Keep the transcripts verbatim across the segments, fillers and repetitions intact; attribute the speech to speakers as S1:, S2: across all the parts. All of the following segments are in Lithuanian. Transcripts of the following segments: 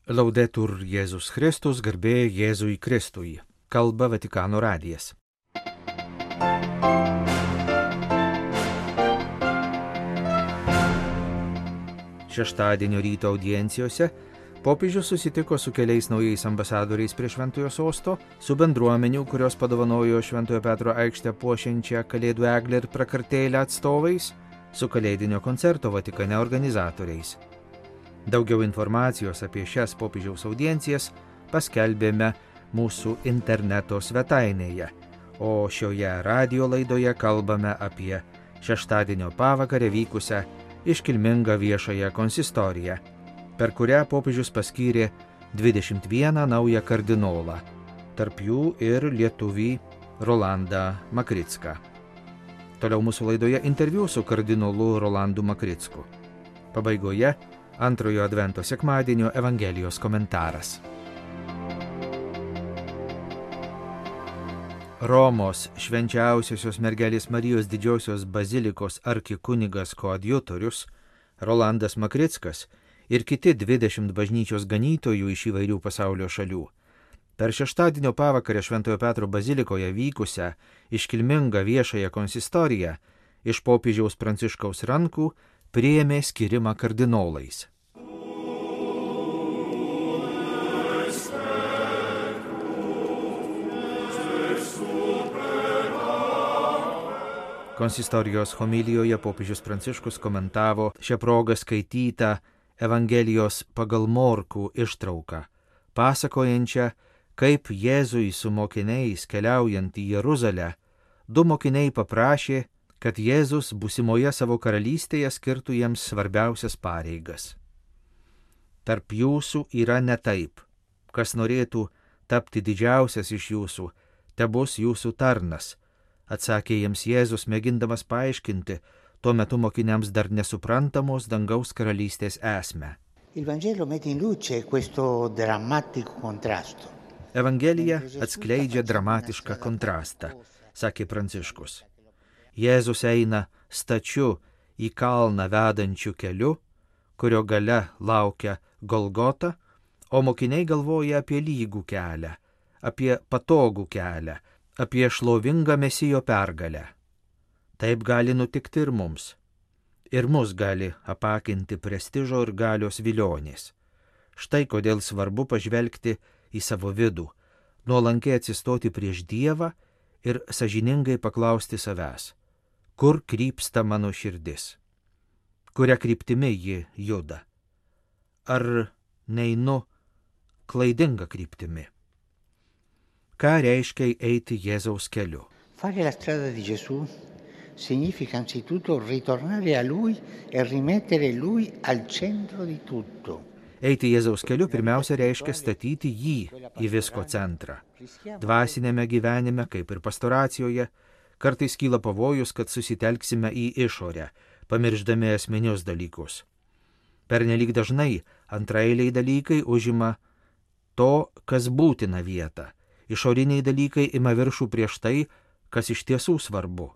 S1: Laudetur Jėzus Kristus, garbė Jėzui Kristui. Kalba Vatikano radijas. Šeštadienio ryto audiencijose popiežius susitiko su keliais naujais ambasadoriais prie Šventojo sosto, su bendruomenių, kurios padovanojo Šventojo Petro aikštę puošiančią Kalėdų eglę ir prakartėlę atstovais, su Kalėdinio koncerto Vatikane organizatoriais. Daugiau informacijos apie šias popiežiaus audiencijas paskelbėme mūsų interneto svetainėje, o šioje radio laidoje kalbame apie šeštadienio pavakarę vykusią iškilmingą viešąją konsistoriją, per kurią popiežius paskyrė dvidešimt vieną naują kardinolą, tarp jų ir lietuvį Rolandą Makricką. Toliau mūsų laidoje interviu su kardinolu Rolandu Makricku. Pabaigoje antrojo advento sekmadienio Evangelijos komentaras. Romos švenčiausiosios mergelės Marijos didžiosios bazilikos arkikunigas koadjutorius Rolandas Makrickas ir kiti dvidešimt bažnyčios ganytojų iš įvairių pasaulio šalių per šeštadienio pavakarę Šventojo Petro bazilikoje vykusią iškilmingą viešąją konsistoriją iš popiežiaus Pranciškaus rankų priėmė skirimą kardinolais. Konsistorijos homilijoje popiežius Pranciškus komentavo šią progą skaitytą Evangelijos pagal Morkų ištrauką, pasakojančią, kaip Jėzui su mokiniais keliaujant į Jeruzalę, du mokiniai paprašė, kad Jėzus būsimoje savo karalystėje skirtų jiems svarbiausias pareigas. Tarp jūsų yra ne taip, kas norėtų tapti didžiausias iš jūsų, tebus jūsų tarnas, atsakė jiems Jėzus, mėgindamas paaiškinti tuo metu mokiniams dar nesuprantamos dangaus karalystės esmę. Evangelija atskleidžia dramatišką kontrastą, sakė Pranciškus. Jėzus eina stačiu į kalną vedančiu keliu, kurio gale laukia Golgota, o mokiniai galvoja apie lygų kelią, apie patogų kelią, apie šlovingą Mesijo pergalę. Taip gali nutikti ir mums. Ir mus gali apakinti prestižo ir galios vilionės. Štai kodėl svarbu pažvelgti į savo vidų, nuolankiai atsistoti prieš Dievą ir sąžiningai paklausti savęs, kur krypsta mano širdis, kuria kryptimi ji juda, ar neinu klaidinga kryptimi. Ką reiškia eiti Jėzaus keliu?
S2: Fare la strada di Gesù significa anzitutto ritornare a Lui e rimettere Lui al centro di tutto.
S1: Eiti Jėzaus keliu pirmiausia reiškia statyti jį į visko centrą. Dvasinėme gyvenime, kaip ir pastoracijoje, kartais kyla pavojus, kad susitelksime į išorę, pamirždami esminius dalykus. Pernelyg dažnai antraeiliai dalykai užima to, kas būtina vietą. Išoriniai dalykai ima viršų prieš tai, kas iš tiesų svarbu.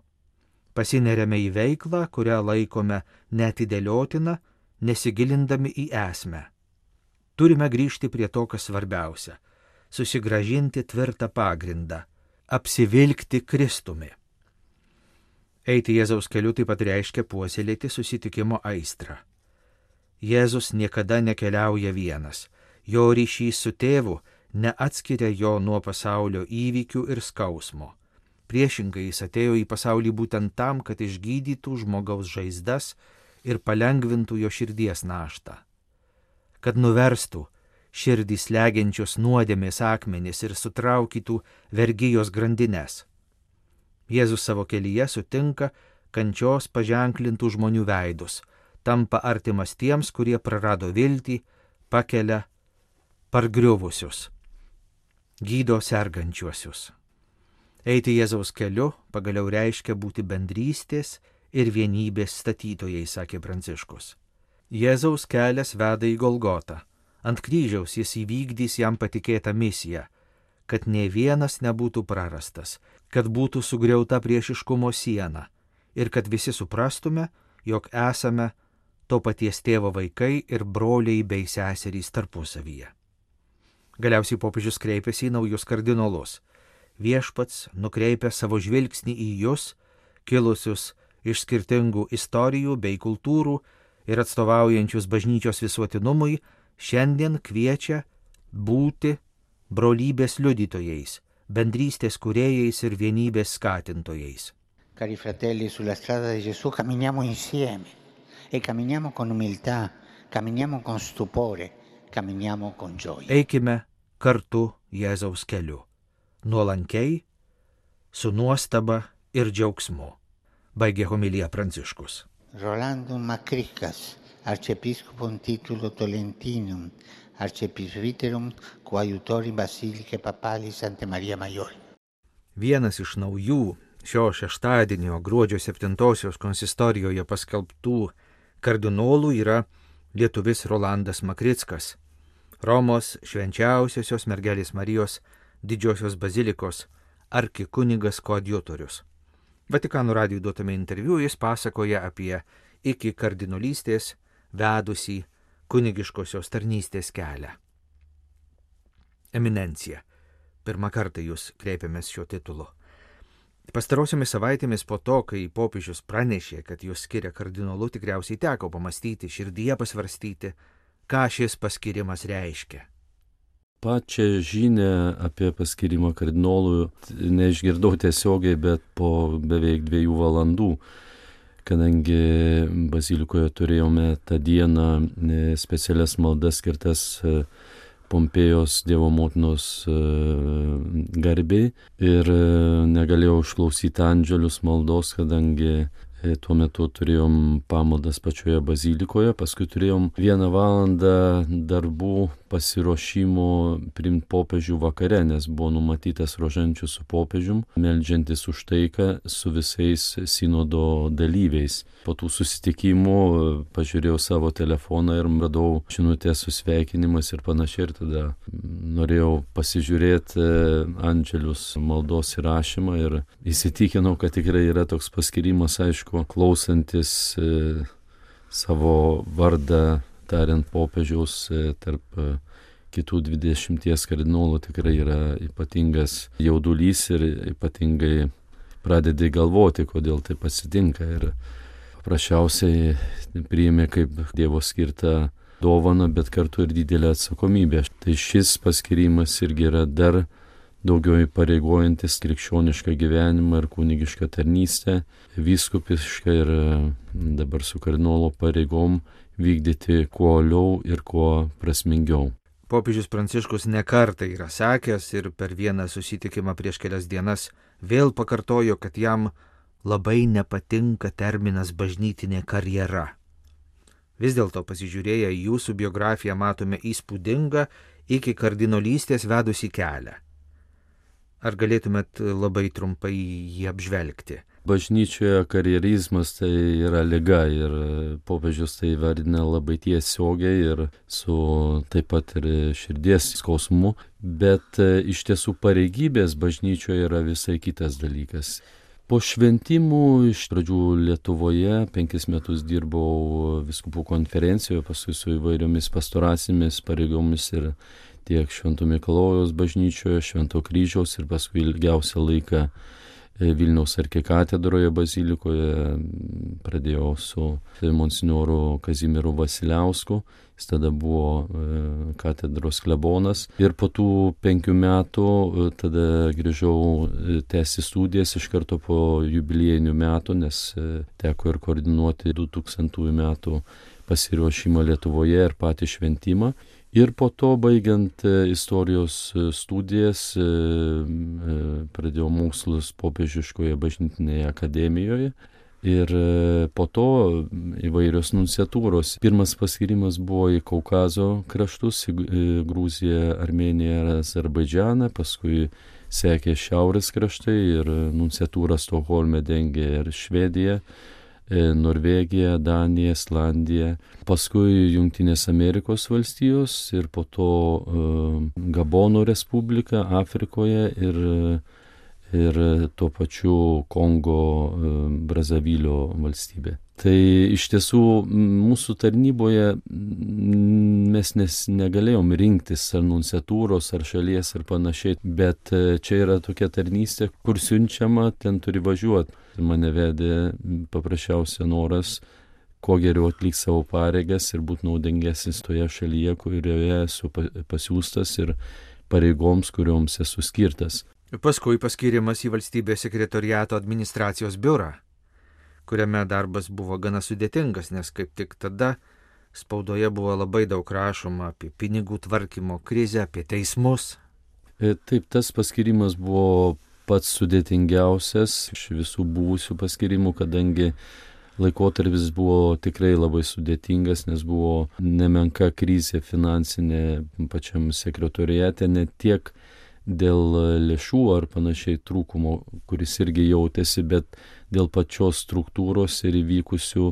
S1: Pasineriame į veiklą, kurią laikome neatidėliotina, nesigilindami į esmę. Turime grįžti prie to, kas svarbiausia – susigrąžinti tvirtą pagrindą, apsivilkti Kristumi. Eiti Jėzaus keliu taip pat reiškia puoselėti susitikimo aistrą. Jėzus niekada nekeliauja vienas, jo ryšys su tėvu neatskiria jo nuo pasaulio įvykių ir skausmo. Priešingai jis atėjo į pasaulį būtent tam, kad išgydytų žmogaus žaizdas ir palengvintų jo širdies naštą. Kad nuverstų širdį slegiančios nuodėmės akmenis ir sutraukytų vergijos grandines. Jėzus savo kelyje sutinka kančios paženklintų žmonių veidus, tampa artimas tiems, kurie prarado viltį, pakelia pargriuvusius, gydo sergančiuosius. Eiti Jėzaus keliu pagaliau reiškia būti bendrystės ir vienybės statytojai, sakė Pranciškus. Jėzaus kelias veda į Golgotą. Ant kryžiaus jis įvykdys jam patikėtą misiją, kad nė vienas nebūtų prarastas, kad būtų sugriauta priešiškumo siena ir kad visi suprastume, jog esame to paties tėvo vaikai ir broliai bei seserys tarpusavyje. Galiausiai popiežius kreipėsi į naujus kardinolus. Viešpats nukreipia savo žvilgsnį į jūs, kilusius iš skirtingų istorijų bei kultūrų ir atstovaujančius bažnyčios visuotinumui, šiandien kviečia būti brolybės liudytojais, bendrystės kūrėjais ir vienybės skatintojais.
S2: Cari fratelli, sulla strada di Gesù camminiamo insieme e camminiamo con umiltà, camminiamo con stupore, camminiamo con gioia.
S1: Eikime kartu Jėzaus keliu, nuolankiai, su nuostaba ir džiaugsmu, baigė homiliją Pranciškus.
S2: Rolando Macricas, arciepiscopum titulo Tolentinum, arciepisviterum coadjutori Basilicae Papali Santa Maria Maggiore.
S1: Vienas iš naujų šio šeštadienio gruodžio septintosios konsistorijoje paskelbtų kardinolų yra lietuvis Rolandas Makrickas, Romos švenčiausiosios mergelės Marijos didžiosios bazilikos arkikunigas koadjutorius. Vatikano radijui duotame interviu jis pasakoja apie iki kardinolystės vedusį kunigiškosios tarnystės kelią. Eminencija. Pirmą kartą jūs kreipiamės šiuo titulu. Pastarosiomis savaitėmis po to, kai popiežius pranešė, kad jūs skiria kardinolu, tikriausiai teko pamastyti, širdyje pasvarstyti, ką šis paskirimas reiškia.
S3: Pačią žinią apie paskirimą kardinolų neišgirdau tiesiogiai, bet po beveik dviejų valandų, kadangi bazilikoje turėjome tą dieną specialias maldas skirtas Pompėjos Dievo motinos garbei ir negalėjau išklausyti Andželius maldos, kadangi tuo metu turėjom pamaldas pačioje bazilikoje, paskui turėjom vieną valandą darbų pasiruošimo priimti popiežių vakare, nes buvo numatytas rožančius su popiežium, meldžiantis už taiką su visais sinodo dalyviais. Po tų susitikimų pažiūrėjau savo telefoną ir radau žinutės su sveikinimas ir panašiai, ir tada norėjau pasižiūrėti Andželius maldos įrašymą ir įsitikinau, kad tikrai yra toks paskirimas, aišku, klausantis e, savo vardą tariant popiežiaus e, tarp e, kitų dvidešimties kardinolų tikrai yra ypatingas jaudulys ir ypatingai pradedi galvoti, kodėl tai pasitinka, ir paprasčiausiai priėmė kaip Dievo skirtą dovaną, bet kartu ir didelę atsakomybę. Tai šis paskirimas irgi yra dar daugiau įpareigojantis krikščionišką gyvenimą ir kunigišką tarnystę, vyskupišką ir dabar su kardinolo pareigom vykdyti kuo uoliau ir kuo prasmingiau.
S1: Popiežius Pranciškus nekartą yra sakęs ir per vieną susitikimą prieš kelias dienas vėl pakartojo, kad jam labai nepatinka terminas bažnytinė karjera. Vis dėlto pasižiūrėję į jūsų biografiją matome įspūdingą iki kardinolystės vedusį kelią. Ar galėtumėt labai trumpai jį apžvelgti?
S3: Bažnyčioje karjerizmas tai yra liga ir popiežius tai vardina labai tiesiogiai ir su taip pat ir širdies skausmu, bet iš tiesų pareigybės bažnyčioje yra visai kitas dalykas. Po šventimų iš pradžių Lietuvoje penkis metus dirbau vyskupų konferencijoje, paskui su įvairiomis pastoracinėmis pareigomis ir tiek Švento Mikalojaus bažnyčioje, Švento Kryžiaus ir paskui ilgiausią laiką Vilniaus arkikatedroje bazilikoje. Pradėjau su monsinjoru Kazimieru Vasiliausku, jis tada buvo katedros klebonas. Ir po tų penkių metų tada grįžau tęsti studijas iš karto po jubiliejinių metų, nes teko ir koordinuoti du tūkstantųjų metų pasiruošimą Lietuvoje ir patį šventimą. Ir po to, baigiant istorijos studijas, pradėjau mokslus popiežiškoje bažnytinėje akademijoje ir po to įvairios nunciatūros. Pirmas paskirimas buvo į Kaukazo kraštus, į Gruziją, Armėniją ir Azerbaidžaną, paskui sekė šiaurės kraštai ir nunciatūrą Stokholme dengė ir Švedija, Norvegija, Danija, Islandija, paskui Jungtinės Amerikos valstijos ir po to uh, Gabono Respublika Afrikoje ir uh, ir tuo pačiu Kongo Brazavilio valstybė. Tai iš tiesų mūsų tarnyboje mes nes negalėjom rinktis ar nunciatūros, ar šalies ar panašiai, bet čia yra tokia tarnystė, kur siunčiama, ten turi važiuoti. Mane vedė paprasčiausia noras kuo geriau atlikti savo pareigas ir būti naudingesnis toje šalyje, kurioje esu pasiūstas ir pareigoms, kurioms esu skirtas.
S1: Paskui paskirimas į valstybės sekretoriato administracijos biurą, kuriame darbas buvo gana sudėtingas, nes kaip tik tada spaudoje buvo labai daug rašoma apie pinigų tvarkymo krizę, apie teismus.
S3: Taip, tas paskirimas buvo pats sudėtingiausias iš visų buvusių paskirimų, kadangi laikotarpis buvo tikrai labai sudėtingas, nes buvo nemenka krizė finansinė pačiam sekretoriate, ne tiek dėl lėšų ar panašiai trūkumo, kuris irgi jautėsi, bet dėl pačios struktūros ir įvykusių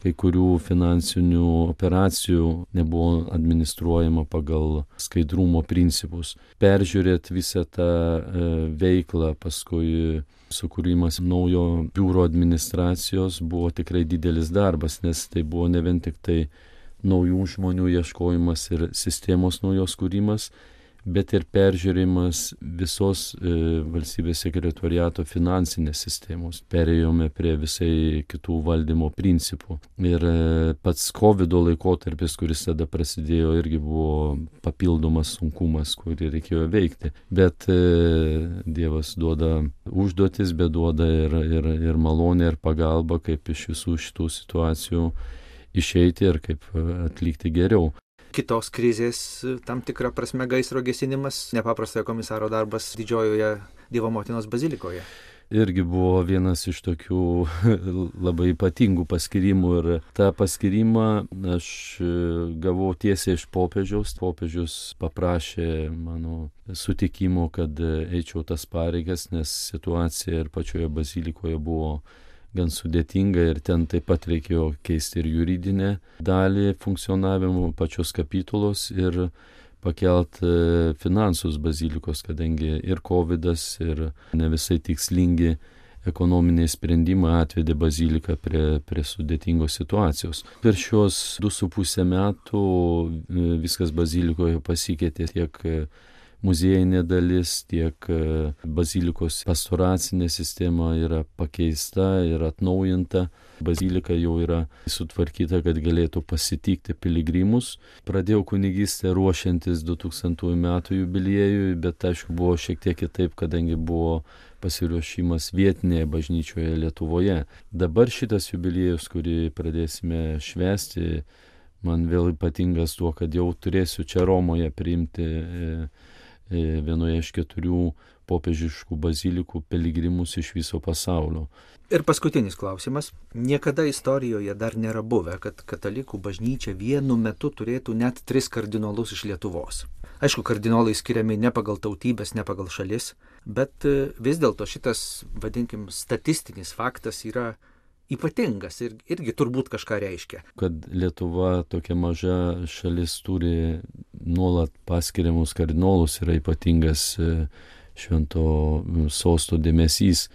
S3: kai kurių finansinių operacijų nebuvo administruojama pagal skaidrumo principus. Peržiūrėt visą tą e, veiklą, paskui sukūrimas naujo biuro administracijos buvo tikrai didelis darbas, nes tai buvo ne vien tik tai naujų žmonių ieškojimas ir sistemos naujos kūrimas, bet ir peržiūrimas visos e, valstybės sekretoriato finansinės sistemos. Perėjome prie visai kitų valdymo principų. Ir e, pats kovido laikotarpis, kuris tada prasidėjo, irgi buvo papildomas sunkumas, kurį reikėjo veikti. Bet e, Dievas duoda užduotis, bet duoda ir, ir, ir malonę, ir pagalbą, kaip iš visų šitų situacijų išeiti ir kaip atlikti geriau.
S1: Kitos krizės, tam tikrą prasme gaisro gesinimas, nepaprastojo komisaro darbas Didžiojoje Dievo Motinos bazilikoje.
S3: Irgi buvo vienas iš tokių labai ypatingų paskirimų ir tą paskirimą aš gavau tiesiai iš popiežiaus. Popiežius paprašė mano sutikimo, kad eičiau tas pareigas, nes situacija ir pačioje bazilikoje buvo gan sudėtinga ir ten taip pat reikėjo keisti ir juridinę dalį funkcionavimo pačios kapitulos ir pakelt finansus bazilikos, kadangi ir kovidas, ir ne visai tikslingi ekonominiai sprendimai atvedė baziliką prie, prie sudėtingos situacijos. Per šios du su pusę metų viskas bazilikoje pasikeitė, tiek muziejinė dalis, tiek bazilikos pastoracinė sistema yra pakeista ir atnaujinta. Bazilika jau yra sutvarkyta, kad galėtų pasitikti piligrimus. Pradėjau kunigystę ruošiantis du tūkstantųjų metų jubiliejui, bet aišku buvo šiek tiek kitaip, kadangi buvo pasiruošimas vietinėje bažnyčioje Lietuvoje. Dabar šitas jubiliejus, kurį pradėsime švęsti, man vėl ypatingas tuo, kad jau turėsiu čia Romoje priimti vienoje iš keturių popiežiškų bazilikų piligrimus iš viso pasaulio.
S1: Ir paskutinis klausimas. Niekada istorijoje dar nėra buvę, kad katalikų bažnyčia vienu metu turėtų net tris kardinolus iš Lietuvos. Aišku, kardinolai skiriami ne pagal tautybės, ne pagal šalis, bet vis dėlto šitas, vadinkim, statistinis faktas yra ypatingas ir irgi turbūt kažką reiškia.
S3: Kad Lietuva, tokia maža šalis, turi nuolat paskiriamus kardinolus, yra ypatingas švento sosto dėmesys.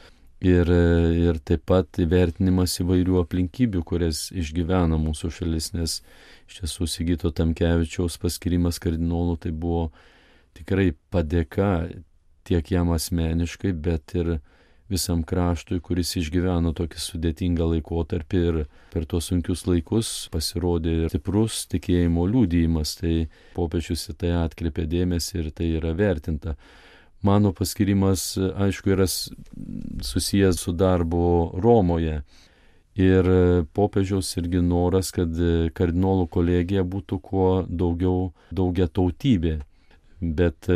S3: Ir, ir taip pat įvertinimas įvairių aplinkybių, kurias išgyvena mūsų šalis, nes iš tiesų Sigito Tamkevičiaus paskirimas kardinolų tai buvo tikrai padėka tiek jam asmeniškai, bet ir visam kraštui, kuris išgyveno tokį sudėtingą laikotarpį ir per tuos sunkius laikus pasirodė stiprus tikėjimo liudijimas. Tai popiežius į tai atkreipė dėmesį ir tai yra vertinta. Mano paskirimas, aišku, yra susijęs su darbu Romoje. Ir popiežiaus irgi noras, kad kardinolų kolegija būtų kuo daugiau daugia tautybė. Bet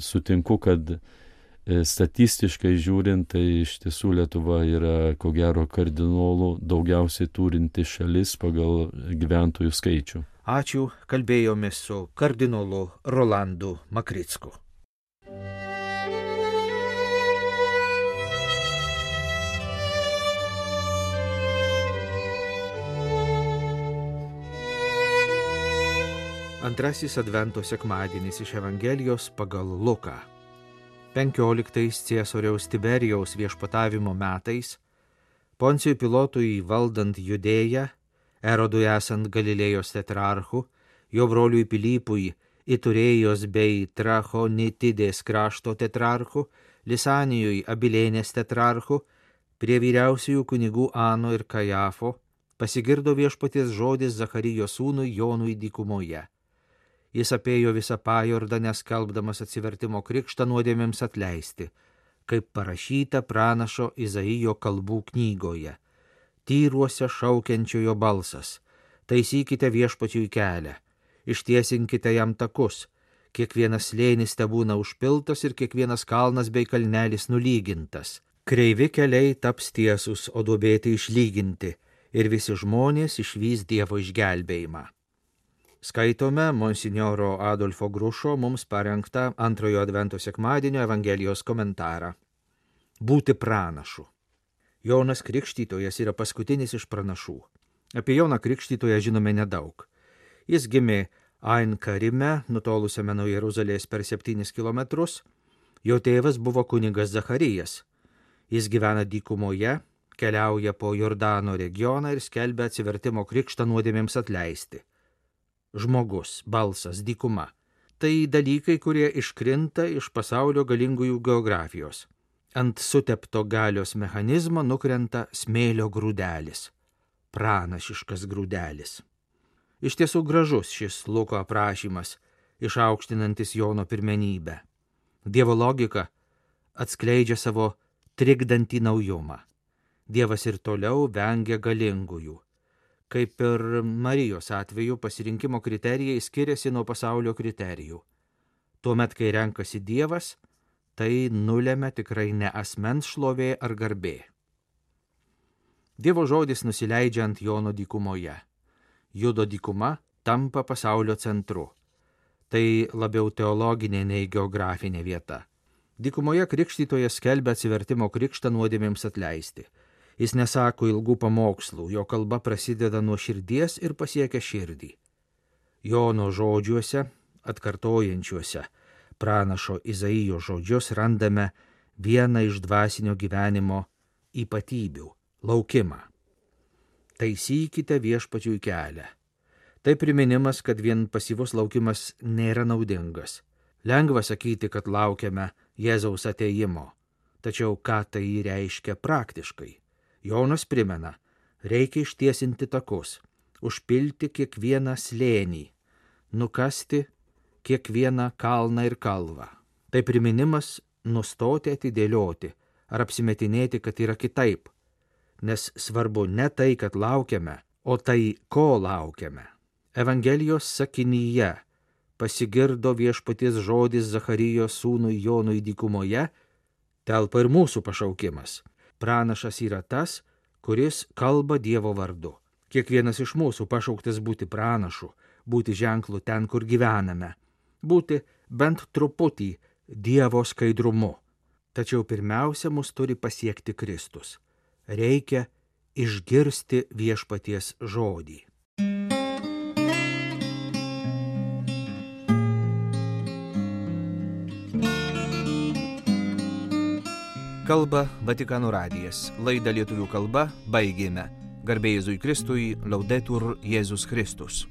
S3: sutinku, kad statistiškai žiūrint, tai iš tiesų Lietuva yra, ko gero, kardinolų daugiausiai turinti šalis pagal gyventojų skaičių.
S1: Ačiū, kalbėjomės su kardinolu Rolandu Makricku. Antrasis Advento sekmadienis iš Evangelijos pagal Luką. penkioliktais Ciesoriaus Tiberijaus viešpatavimo metais, Poncijui Pilotui valdant Judėją, Erodui esant Galilėjos tetrarchu, jo broliui Pilypui Iturėjos bei Trachonitidės krašto tetrarchu, Lisanijui Abilėnės tetrarchu, prie vyriausiųjų kunigų Ano ir Kajafo pasigirdo viešpaties žodis Zacharijo sūnui Jonui dykumoje. Jis apėjo visą Pajordanę skelbdamas atsivertimo krikštą nuodėmėms atleisti, kaip parašyta pranašo Izaijo kalbų knygoje. Tyruose šaukiančiojo balsas, taisykite viešpačiui kelią, ištiesinkite jam takus, kiekvienas slėnis tebūna užpiltas ir kiekvienas kalnas bei kalnelis nulygintas. Kreivi keliai taps tiesus, o duobėti išlyginti, ir visi žmonės išvys Dievo išgelbėjimą. Skaitome monsinjoro Adolfo Grušo mums parengtą antrojo advento sekmadienio Evangelijos komentarą. Būti pranašu. Jonas Krikštytojas yra paskutinis iš pranašų. Apie Joną Krikštytoją žinome nedaug. Jis gimė Ain Karime, nutolusiame nuo Jeruzalės per septynis kilometrus. Jo tėvas buvo kunigas Zacharijas. Jis gyvena dykumoje, keliauja po Jordano regioną ir skelbia atsivertimo krikštą nuodėmėms atleisti. Žmogus, balsas, dykuma. Tai dalykai, kurie iškrinta iš pasaulio galingųjų geografijos. Ant sutepto galios mechanizmo nukrenta smėlio grūdelis. Pranašiškas grūdelis. Iš tiesų gražus šis Luko aprašymas, išaukštinantis Jono pirmenybę. Dievo logika atskleidžia savo trikdantį naujumą. Dievas ir toliau vengia galingųjų. Kaip ir Marijos atveju pasirinkimo kriterijai skiriasi nuo pasaulio kriterijų. Tuomet, kai renkasi Dievas, tai nulemia tikrai ne asmens šlovė ar garbė. Dievo žodis nusileidžia ant Jono dykumoje. Judo dykuma tampa pasaulio centru. Tai labiau teologinė nei geografinė vieta. Dykumoje Krikštytojas skelbia atsivertimo krikštą nuodėmėms atleisti. Jis nesako ilgų pamokslų, jo kalba prasideda nuo širdies ir pasiekia širdį. Jono žodžiuose, atkartojančiuose pranašo Izaijo žodžius, randame vieną iš dvasinio gyvenimo ypatybių – laukimą. Taisykite viešpačiui kelią. Tai priminimas, kad vien pasyvus laukimas nėra naudingas. Lengva sakyti, kad laukiame Jėzaus atėjimo, tačiau ką tai reiškia praktiškai? Jonas primena, reikia ištiesinti takus, užpilti kiekvieną slėnį, nukasti kiekvieną kalną ir kalvą. Tai priminimas nustoti atidėlioti ar apsimetinėti, kad yra kitaip, nes svarbu ne tai, kad laukiame, o tai, ko laukiame. Evangelijos sakinyje pasigirdo viešpaties žodis Zacharijo sūnui Jonui dykumoje, telpa ir mūsų pašaukimas. Pranašas yra tas, kuris kalba Dievo vardu. Kiekvienas iš mūsų pašauktas būti pranašu, būti ženklu ten, kur gyvename, būti bent truputį Dievo skaidrumu. Tačiau pirmiausia, mus turi pasiekti Kristus. Reikia išgirsti viešpaties žodį. Kalba Vatikano radijas. Laidą lietuvių kalba baigėme. Garbė Jėzui Kristui, Laudetur Jėzus Kristus.